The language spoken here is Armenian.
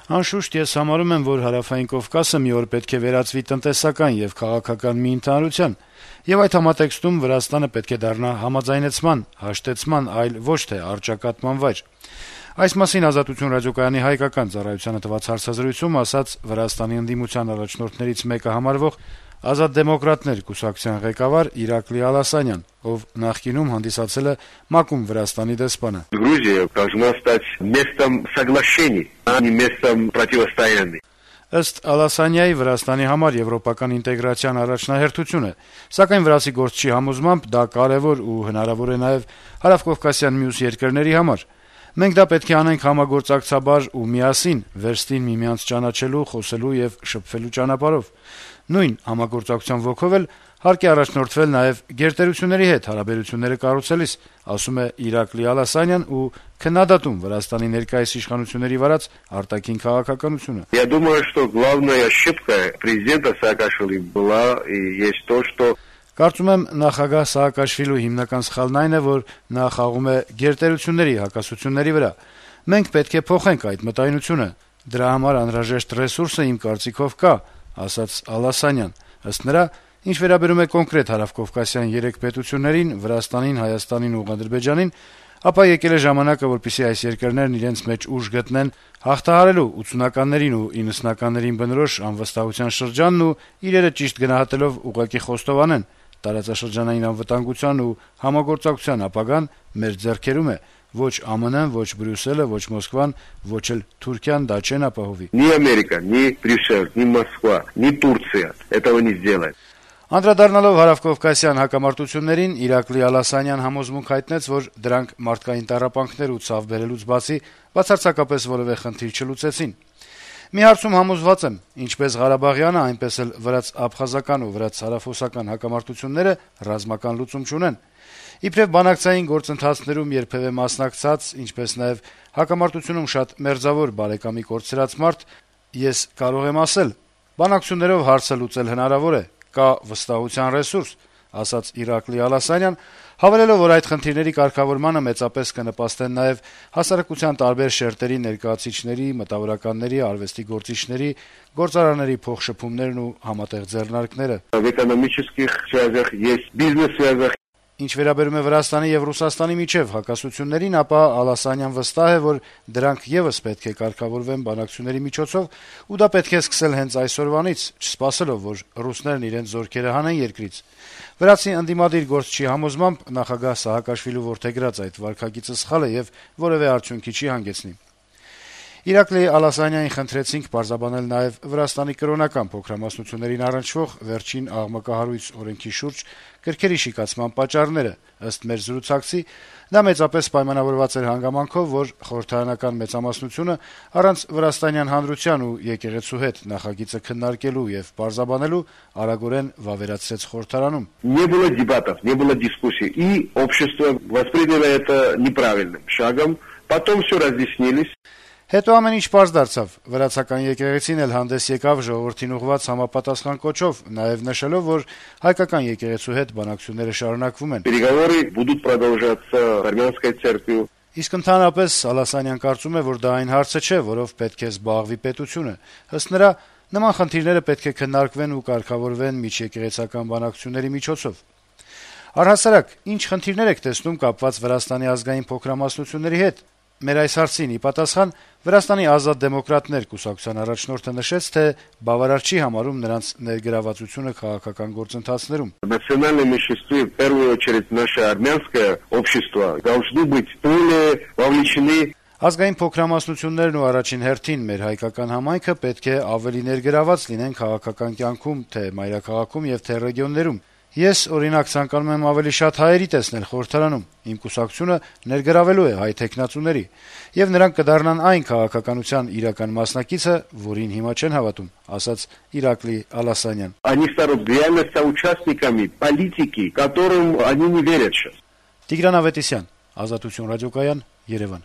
Անշուշտ ես համարում եմ, որ Հարավային Կովկասը մի օր պետք է վերածվի տնտեսական եւ քաղաքական մի ընդհանրության, եւ այդ համատեքստում Վրաստանը պետք է դառնա համաձայնեցման, հաշտեցման, այլ ոչ թե առճակատման վայր։ Այս մասին «Ազատություն» ռադիոկայանի հայկական ծառայությանը տված հարցազրույցում ասաց Վրաստանի ընդդիմության առաջնորդներից մեկը համարվող «Ազատ դեմոկրատներ» կուսակցության ղեկավար Իրակլի Ալասանյան, ով նախկինում հանդիսացել է ՄԱԿ-ում Վրաստանի դեսպանը։ Грузия должна стать местом соглашений, а не местом противостояний. Ըստ Ալասանյայի Վրաստանի համար եվրոպական ինտեգրացիան առաջնահերթություն է, սակայն վրացի գործչի համոզմամբ դա կարեւոր ու հնարավոր է նաեւ հարավկովկասյան մյուս երկրների համար։ Մենք դա պետք է անենք համագործակցաբար ու միասին, վերստին միմյանց ճանաչելու, խոսելու եւ շփվելու ճանապարհով։ Նույն համագործակցության ոգով էլ հարկ է առաջնորդվել նաեւ գերտերությունների հետ հարաբերությունները կառուցելիս, ասում է Իրակլի Ալասանյան ու քննադատում Վրաստանի ներկայիս իշխանությունների վարած արտաքին քաղաքականությունը։ Я думаю, что главная ошибка президента Саакашвили была и есть то, что Կարծում եմ նախագահ Սաակաշվիլու հիմնական սխալն այն է, որ նա խաղում է գերտերությունների հակասությունների վրա։ Մենք պետք է փոխենք այդ մտայնությունը։ Դրա համար անհրաժեշտ ռեսուրսը իմ կարծիքով կա, ասաց Ալասանյան։ Ըստ նրա, ինչ վերաբերում է կոնկրետ հարավկովկասյան 3 պետություններին՝ Վրաստանին, Հայաստանին ու Ադրբեջանին, ապա եկել է ժամանակը, որպեսզի այս երկրներն իրենց մեջ ուժ գտնեն հաղթահարելու 80-ականներին ու 90-ականներին բնորոշ անվստահության շրջանն ու իրերը ճիշտ գնահատելով ուղղակի խոստովանեն։ Տարածաշրջանային անվտանգության ու համագործակցության ապագան մեր ձեռքերում է, ոչ ԱՄՆ-ն, ոչ Բրյուսելը, ոչ Մոսկվան, ոչ էլ Թուրքիան դա չեն ապահովի։ ни Америка, ни Брюссель, ни Москва, ни Турция этого не сделает. Անդրադառնալով հարավկովկասյան հակամարտություններին, Իրակլի Ալասանյան համոզմունք հայտնեց, որ դրանք մարդկային տառապանքներ ու ցավ բերելուց բացի բացարձակապես որևէ խնդիր չլուծեցին։ Մի հարցում համոզված եմ, ինչպես Ղարաբաղյանը, այնպես էլ վրաց-աբխազական ու վրաց-հարավոսական հակամարտությունները ռազմական լուծում չունեն։ Իբրև բանակցային գործընթացներում երբևէ մասնակցած, ինչպես նաև հակամարտությունում շատ մերձավոր բարեկամի կորցրած մարդ, ես կարող եմ ասել, բանակցություններով հարցը լուծել հնարավոր է, կա վստահության ռեսուրս, ասաց Իրակլի Ալասանյան, հավելելով, որ այդ խնդիրների կարգավորմանը մեծապես կնպաստեն նաև հասարակության տարբեր շերտերի ներկայացուցիչների, մտավորականների, արվեստի գործիչների, գործարանների փոխշփումներն ու համատեղ ձեռնարկները։ В экономических связях есть бизнес-связях. Ինչ վերաբերում է Վրաստանի եւ Ռուսաստանի միջև հակասություններին, ապա Ալասանյան վստահ է, որ դրանք եւս պետք է կարգավորվեն բանակցությունների միջոցով, ու դա պետք է սկսել հենց այսօրվանից, չսպասելով, որ ռուսներն իրենց զորքերը հանեն երկրից։ Վրացի ընդդիմադիր գործչի համոզմամբ նախագահ Սաակաշվիլու որդեգրած այդ վարքագիծը սխալ է եւ որևէ արդյունքի չի հանգեցնի։ Իրակլի Ալասանյանին խնդրեցինք պարզաբանել նաև Վրաստանի կրոնական փոքրամասնություններին առնչվող վերջին աղմկահարույց օրենքի շուրջ կրքերի շիկացման պատճառները։ Ըստ մեր զրուցակցի, դա մեծապես պայմանավորված էր հանգամանքով, որ խորհրդարանական մեծամասնությունը առանց վրաստանյան հանրության ու եկեղեցու հետ նախագիծը քննարկելու եւ պարզաբանելու արագորեն վավերացրեց խորհրդարանում։ Не было дебатов, не было дискуссий, и общество восприняло это неправильным шагом. Потом все разъяснились. Հետո ամեն ինչ պարզ дարձավ։ Վրացական եկեղեցին էլ հանդես եկավ ժողովրդին ուղղված համապատասխան կոչով, նաև նշելով, որ հայկական եկեղեցու հետ բանակցությունները շարունակվում են։ Переговоры будут продолжаться с армянской церковью. Իսկ ընդհանրապես Ալասանյան կարծում է, որ դա այն հարցը չէ, որով պետք է զբաղվի պետությունը։ Ըստ նրա, նման խնդիրները պետք է քննարկվեն ու կարգավորվեն միջեկեղեցական բանակցությունների միջոցով։ Առհասարակ, ինչ խնդիրներ եք տեսնում կապված Վրաստանի ազգային փոքրամասնությունների հետ։ Մեր այս հարցին ի պատասխան Վրաստանի ազատ դեմոկրատներ կուսակցության առաջնորդը նշեց, թե բավարար չի համարում նրանց ներգրավվածությունը քաղաքական գործընթացներում։ Национальные меньшинства, в первую очередь наше армянское общество, должны быть более вовлечены. Ազգային փոքրամասնություններն ու առաջին հերթին մեր հայկական համայնքը պետք է ավելի ներգրաված լինեն քաղաքական կյանքում, թե մայրաքաղաքում եւ թե ռեգիոններում։ Ես, օրինակ, ցանկանում եմ ավելի շատ հայերի տեսնել խորհրդարանում։ Իմ կուսակցությունը ներգրավելու է հայ թեկնածուների, եւ նրանք կդառնան այն քաղաքականության իրական մասնակիցը, որին հիմա չեն հավատում, ասաց Իրակլի Ալասանյան։ Они станут реально соучастниками политики, которым они не верят сейчас. Տիգրան Ավետիսյան, Ազատություն ռադիոկայան, Երևան։